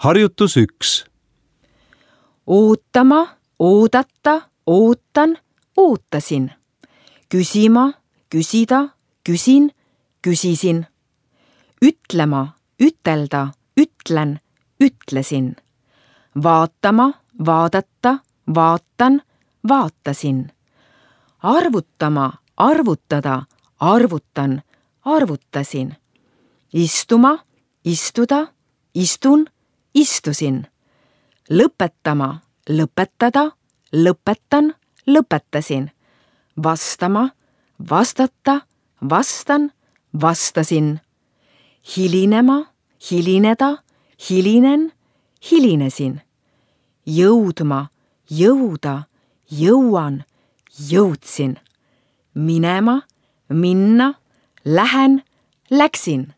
Harjutus 1. Ootama, oodata, ootan, ootasin. Küsima, küsida, küsin, küsisin. Ütlema, ütelda, ütlen, ütlesin. Vaatama, vaadata, vaatan, vaatasin. Arvutama, arvutada, arvutan, arvutasin. Istuma, istuda, istun, istusin. Lõpetama, lõpetada, lõpetan, lõpetasin. Vastama, vastata, vastan, vastasin. Hilinema, hilineda, hilinen, hilinesin. Jõudma, jõuda, jõuan, jõudsin. Minema, minna, lähen, läksin.